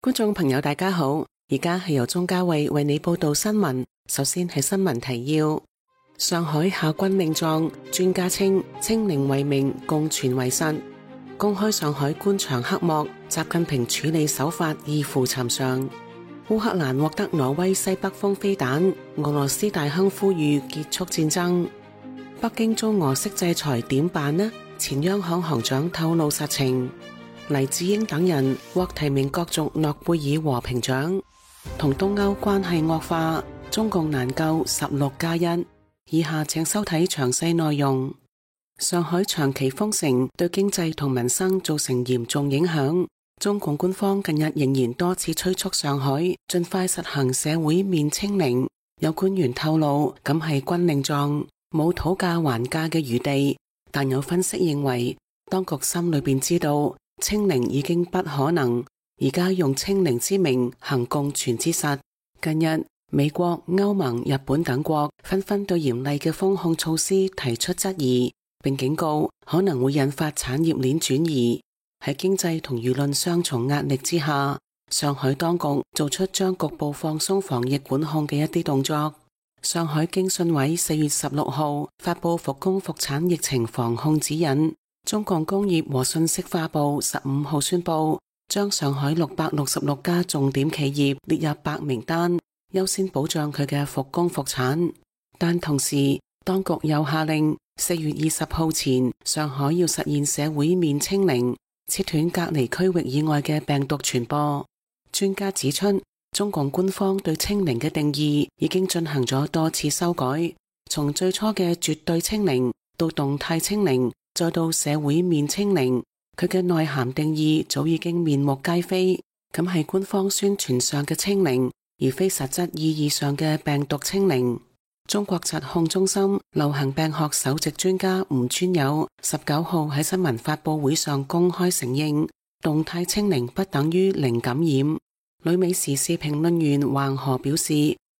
觀眾朋友大家好，而家係由鍾嘉慧為你報道新聞。首先係新聞提要：上海下軍令狀，專家稱清零為名，共存為實。公開上海官場黑幕，習近平處理手法異乎尋常。烏克蘭獲得挪威西北風飛彈，俄羅斯大亨呼籲結束戰爭。北京遭俄式制裁點辦呢？前央行行長透露實情。黎智英等人獲提名角逐諾貝爾和平獎。同東歐關係惡化，中共難救16+1。以下請收睇詳細內容。上海長期封城對經濟同民生造成嚴重影響。中共官方近日仍然多次催促上海盡快實行社會面清零。有官員透露，咁係軍令狀，冇討價還價嘅餘地。但有分析認為，當局心裏邊知道清零已經不可能，而家用清零之名行共存之實。近日，美國、歐盟、日本等國紛紛對嚴厲嘅封控措施提出質疑，並警告可能會引發產業鏈轉移。喺經濟同輿論雙重壓力之下，上海當局做出將局部放鬆防疫管控嘅一啲動作。上海經信委4月16號發佈復工復產疫情防控指引。中國工業和信息化部15號宣布，將上海666家重點企業列入白名單，優先保障佢嘅復工復產。但同時，當局又下令4月20號前，上海要實現社會面清零，切斷隔離區域以外嘅病毒傳播。專家指出，中共官方對清零嘅定義已經進行咗多次修改，從最初嘅絕對清零到動態清零，再到社會面清零，佢嘅內涵定義早已經面目皆非。咁係官方宣傳上嘅清零，而非實質意義上嘅病毒清零。中國疾控中心流行病學首席專家吳尊友19號喺新聞發佈會上公開承認，動態清零不等於零感染。旅美時事評論員橫河表示，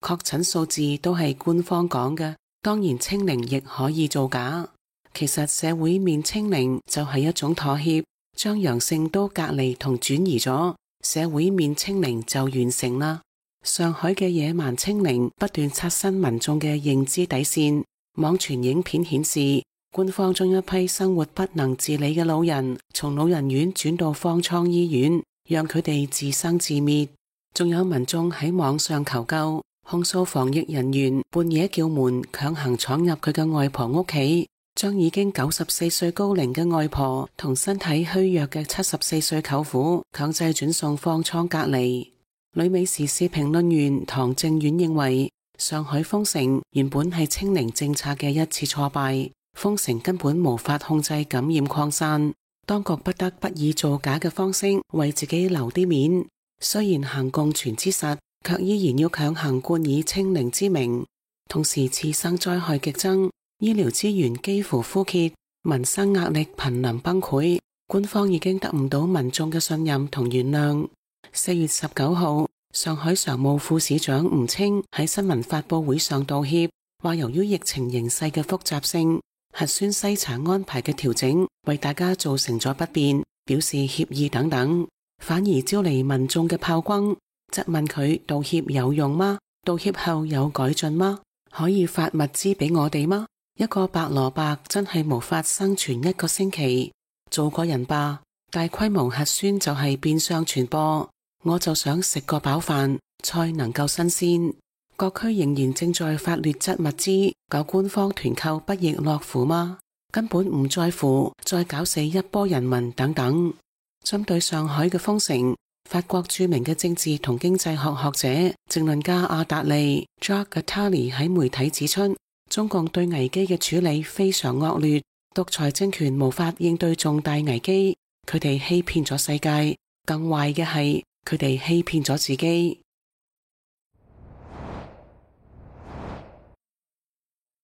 確診數字都係官方講嘅，當然清零亦可以造假。其實社會面清零就係一種妥協，將陽性都隔離同轉移咗，社會面清零就完成啦。上海嘅野蠻清零不斷刷新民眾嘅認知底線。網傳影片顯示，官方將一批生活不能自理嘅老人從老人院轉到方艙醫院，讓佢哋自生自滅。仲有民眾喺網上求救，控訴防疫人員半夜叫門，強行闖入佢嘅外婆屋企，將已經94歲高齡嘅外婆同身體虛弱嘅74歲舅父強制轉送方艙隔離。旅美時事評論員唐正遠認為，上海封城原本係清零政策嘅一次挫敗，封城根本無法控制感染擴散，當局不得不以造假嘅方式為自己留啲面。雖然行共存之實，卻依然要強行冠以清零之名。同時，次生災害激增，醫療資源幾乎枯竭，民生壓力瀕臨崩潰，官方已經得唔到民眾嘅信任同原諒。4月19號，上海常務副市長吳清喺新聞發佈會上道歉，話由於疫情形勢嘅複雜性，核酸篩查安排嘅調整為大家造成咗不便，表示歉意等等，反而招嚟民眾嘅炮轟，質問佢道歉有用嗎？道歉後有改進嗎？可以發物資俾我哋嗎？一個白蘿蔔真係無法生存1個星期，做個人吧。大規模核酸就係變相傳播。我就想食個飽飯，菜能夠新鮮。各區仍然正在發劣質物資，搞官方團購不亦樂乎嗎？根本唔在乎，再搞死一波人民等等。針對上海嘅封城，法國著名嘅政治同經濟學學者、政論家阿達利 Jacques Attali 喺媒體指出，中共對危機嘅處理非常惡劣，獨裁政權無法應對重大危機，佢哋欺騙咗世界，更壞嘅係，佢哋欺騙咗自己。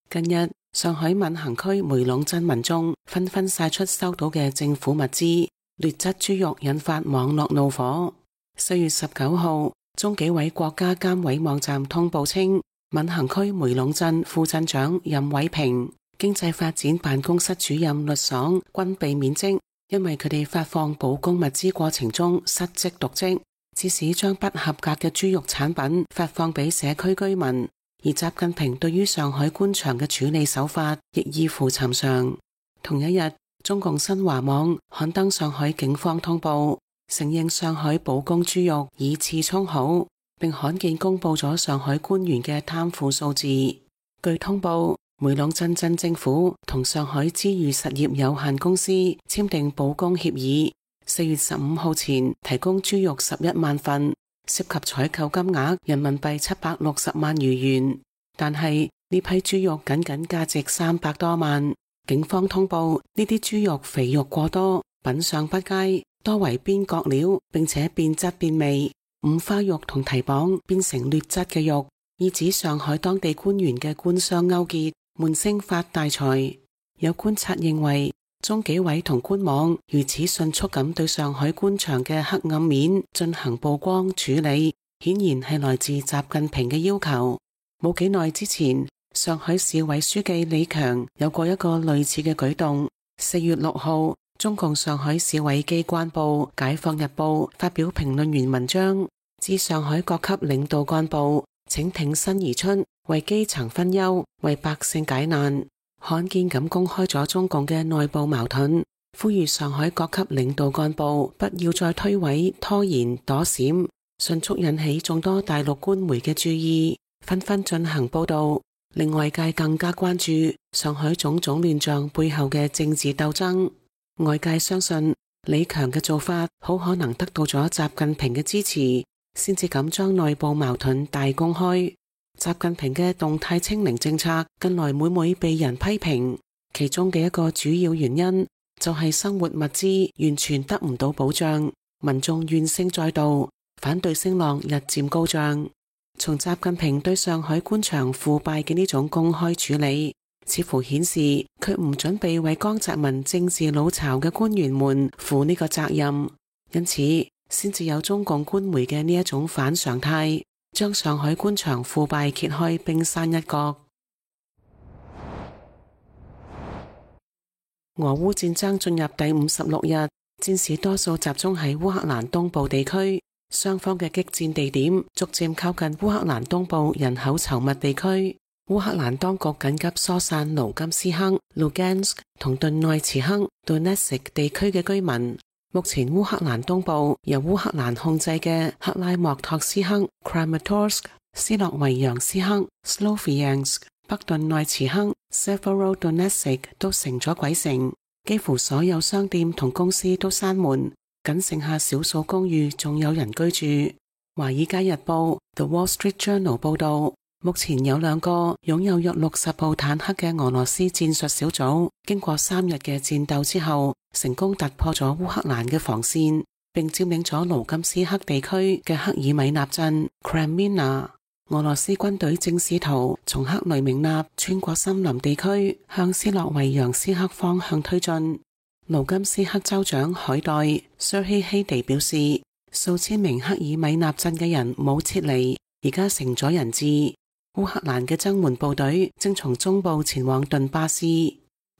近日，上海閔行區梅隴鎮民眾紛紛晒出收到嘅政府物資，劣質豬肉引發網絡怒火。4月19號，中紀委國家監委網站通報稱，閔行區梅隴鎮副鎮長任偉平、經濟發展辦公室主任律爽均被免職，因為佢哋發放保供物資過程中失職瀆職。致使將不合格嘅豬肉產品發放俾社區居民。而習近平對於上海官場嘅處理手法亦異乎尋常。同一日，中共新華網刊登上海警方通報，承認上海保供豬肉以次充好，並罕見公布咗上海官員嘅貪腐數字。據通報，梅隴鎮鎮政府同上海知遇實業有限公司簽訂保供協議，4月15號前提供豬肉11萬份，涉及採購金額人民幣760萬餘元，但係呢批豬肉僅價值300多萬。警方通報呢啲豬肉肥肉過多，品相不佳，多為邊角料，並且變質變味，五花肉同蹄膀變成劣質嘅肉，意指上海當地官員嘅官商勾結，悶聲發大財。有觀察認為，中紀委同官網如此迅速咁對上海官場嘅黑暗面進行曝光處理，顯然係來自習近平嘅要求。冇幾耐之前，上海市委書記李強有過一個類似嘅舉動。4月6號，中共上海市委機關報《解放日報》發表評論員文章，指上海各級領導幹部請挺身而出，為基層分憂，為百姓解難，罕見咁公開咗中共嘅內部矛盾，呼籲上海各級領導幹部不要再推諉、拖延、躲閃，迅速引起眾多大陸官媒嘅注意，紛紛進行報道，令外界更加關注上海種種亂象背後嘅政治鬥爭。外界相信李強嘅做法好可能得到咗習近平嘅支持，先至敢將內部矛盾大公開。習近平嘅動態清零政策近來每每被人批評，其中嘅一個主要原因就係生活物資完全得唔到保障，民眾怨聲載道，反對聲浪日漸高漲。從習近平對上海官場腐敗嘅呢種公開處理，似乎顯示佢唔準備為江澤民政治老巢嘅官員們負呢個責任，因此先至有中共官媒嘅呢一種反常態，將上海官場腐敗揭開冰山一角。俄烏戰爭進入第56日，戰事多數集中喺烏克蘭東部地區，雙方嘅激戰地點逐漸靠近烏克蘭東部人口稠密地區。烏克蘭當局緊急疏散盧甘斯克、Lugansk 同頓內茨克 Donetsk 地區嘅居民。目前烏克蘭東部由烏克蘭控制嘅克拉莫托斯克 Kramatorsk、斯洛維揚斯克 Sloviansk、北頓內茨克 Severodonetsk 都成咗鬼城，幾乎所有商店同公司都閂門，僅剩下少數公寓仲有人居住。華爾街日報 The Wall Street Journal 報道，目前有2個擁有約60部坦克嘅俄羅斯戰術小組，經過3日嘅戰鬥之後，成功突破咗烏克蘭嘅防線，並佔領咗盧甘斯克地區嘅克爾米納鎮 Kremina。俄羅斯軍隊正試圖從克雷明納穿過森林地區，向斯洛維揚斯克方向推進。盧甘斯克州長海代 Serhiy Haidai 表示，數千名克爾米納鎮嘅人冇撤離，而家成咗人質。烏克蘭嘅增援部隊正從中部前往頓巴斯。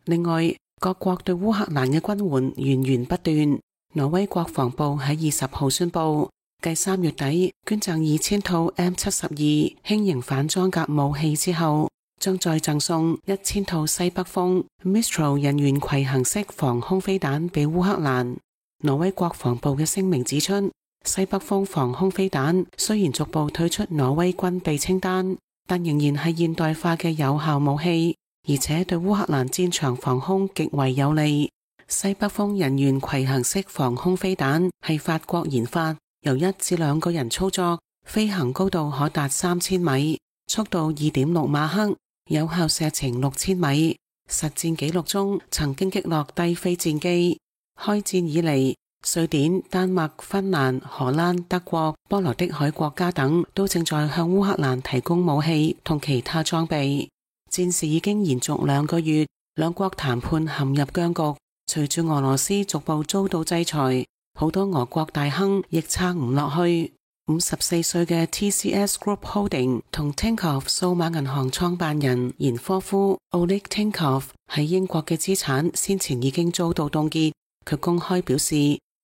另外，各國對烏克蘭嘅軍援源源不斷。挪威國防部喺20號宣布，繼3月底捐贈2000套 M72 輕型反裝甲武器之後，將再贈送1000套西北風 Mistral 人員攜行式防空飛彈俾烏克蘭。挪威國防部嘅聲明指出，西北風防空飛彈雖然逐步退出挪威軍備清單，但仍然係現代化嘅有效武器，而且對烏克蘭戰場防空極為有利。西北風人員攜行式防空飛彈係法國研發，由1至2個人操作，飛行高度可達3000米，速度2.6馬赫，有效射程6000米。實戰記錄中曾經擊落低飛戰機。開戰以嚟，瑞典、丹麥、芬蘭、荷蘭、德國、波羅的海國家等都正在向烏克蘭提供武器同其他裝備。戰事已經延續2個月，兩國談判陷入僵局。隨住俄羅斯逐步遭到制裁，好多俄國大亨亦撐唔落去。54歲嘅 TCS Group Holding 同 Tinkoff 數碼銀行創辦人延科夫 Oleg Tinkoff 喺英國嘅資產先前已經遭到凍結。佢公開表示，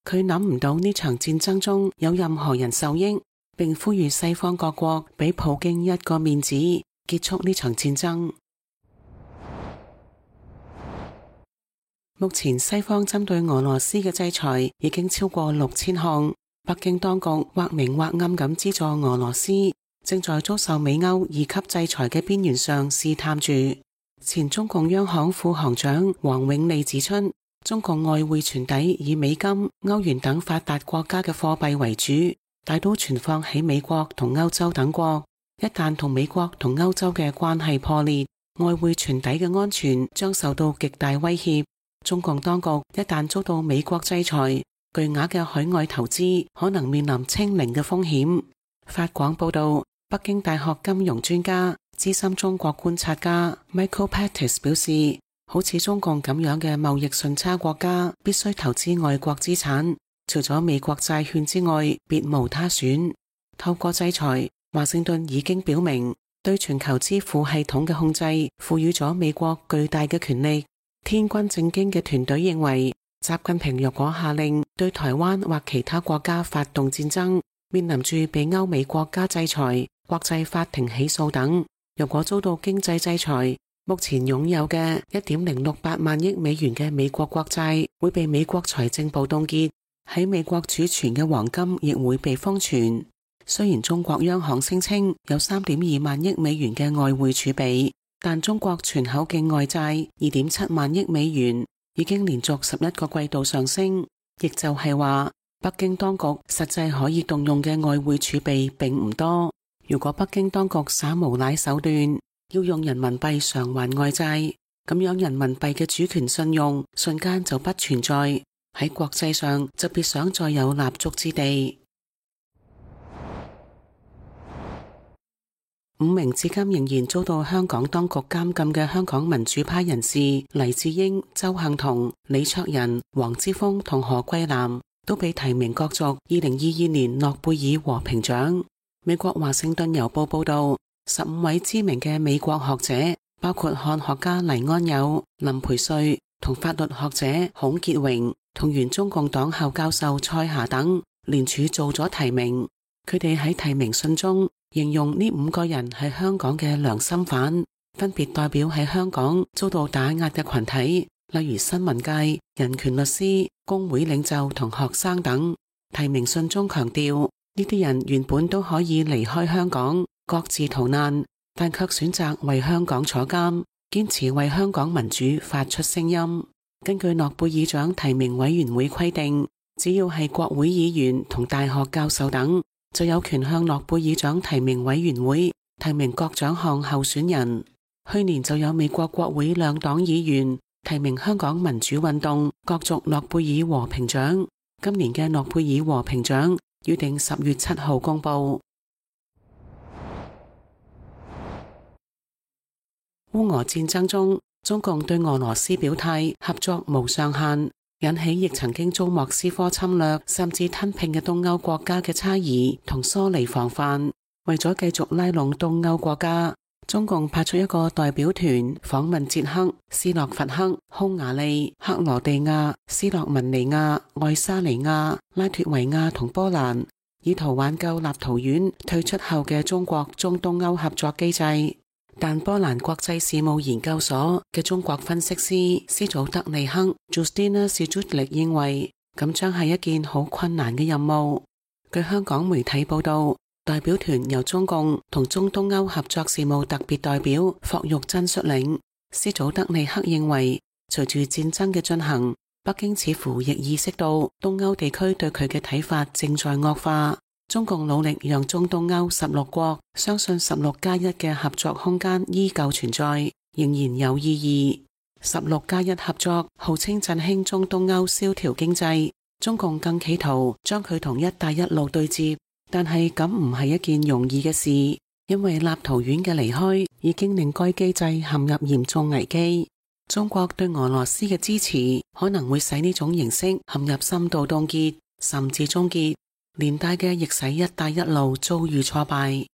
佢諗唔到呢場戰爭中有任何人受益，並呼籲西方各國俾普京一個面子，結束呢場戰爭。目前西方針對俄羅斯嘅制裁已經超過6000項，北京當局或明或暗咁資助俄羅斯，正在遭受美歐2級制裁嘅邊緣上試探住。前中共央行副行長王永利指出，中共外匯存底以美金、歐元等發達國家嘅貨幣為主，大都存放喺美國同歐洲等國。一旦同美國同歐洲嘅關係破裂，外匯存底嘅安全將受到極大威脅。中共當局一旦遭到美國制裁，巨額嘅海外投資可能面臨清零嘅風險。法廣報道，北京大學金融專家、資深中國觀察家 Michael Pettis 表示，好似中共咁樣嘅貿易順差國家必須投資外國資產，除咗美國債券之外，別無他選。透過制裁，華盛頓已經表明對全球支付系統嘅控制賦予咗美國巨大嘅權力。天軍正經嘅團隊認為，習近平若果下令對台灣或其他國家發動戰爭，面臨住被歐美國家制裁、國際法庭起訴等。若果遭到經濟制裁，目前擁有嘅1.068萬億美元嘅美國國債會被美國財政部凍結，喺美國儲存嘅黃金亦會被封存。雖然中國央行聲稱有3.2萬億美元嘅外匯儲備，但中國全口徑外債2.7萬億美元已經連續11個季度上升，亦就係話北京當局實際可以動用嘅外匯儲備並唔多。如果北京當局耍無賴手段，要用人民幣償還外債，咁樣人民幣嘅主權信用瞬間就不存在，喺國際上就別想再有立足之地。5名至今仍然遭到香港當局監禁嘅香港民主派人士黎智英、鄒幸彤、李卓人、黃之鋒同何桂藍都被提名角逐2022年諾貝爾和平獎。美國華盛頓郵報報道，15位知名嘅美國學者，包括漢學家黎安友、林培瑞同法律學者孔傑榮同原中共黨校教授蔡霞等，聯署做咗提名。佢哋喺提名信中形容呢5個人係香港嘅良心犯，分別代表喺香港遭到打壓嘅群體，例如新聞界、人權律師、工會領袖同學生等。提名信中強調，呢啲人原本都可以離開香港，各自逃難，但卻選擇為香港坐監，堅持為香港民主發出聲音。根據諾貝爾獎提名委員會規定，只要係國會議員同大學教授等，就有權向諾貝爾獎提名委員會提名各獎項候選人。去年就有美國國會兩黨議員提名香港民主運動角逐諾貝爾和平獎。今年嘅諾貝爾和平獎預定10月7號公布。烏俄戰爭中，中共對俄羅斯表態合作無上限，引起亦曾經遭莫斯科侵略甚至吞併嘅東歐國家嘅猜疑同疏離防範。為咗繼續拉攏東歐國家，中共派出一個代表團訪問捷克、斯洛伐克、匈牙利、克羅地亞、斯洛文尼亞、愛沙尼亞、拉脫維亞同波蘭，以圖挽救立陶宛退出後嘅中國中東歐合作機制。但波蘭國際事務研究所嘅中國分析師斯祖德尼克 Justina Sjutlik 認為，咁將係一件好困難嘅任務。據香港媒體報道，代表團由中共同中東歐合作事務特別代表霍玉珍率領。斯祖德尼克認為，隨住戰爭嘅進行，北京似乎亦意識到東歐地區對佢嘅睇法正在惡化。中共努力讓中東歐16國相信16+1嘅合作空間依舊存在，仍然有意義。16+1合作號稱振興中東歐蕭條經濟，中共更企圖將佢同一帶一路對接，但係咁唔係一件容易嘅事，因為立陶宛嘅離開已經令該機制陷入嚴重危機。中國對俄羅斯嘅支持可能會使呢種形式陷入深度凍結，甚至終結。連帶嘅亦使一帶一路遭遇挫敗。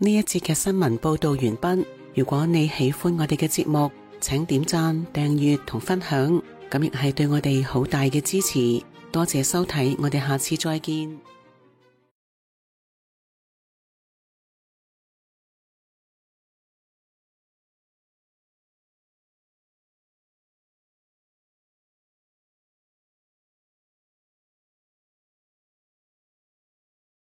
呢一節嘅新聞報道完畢。如果你喜歡我哋嘅節目，請點讚、訂閱同分享。咁亦係對我哋好大嘅支持。多謝收睇，我哋下次再見。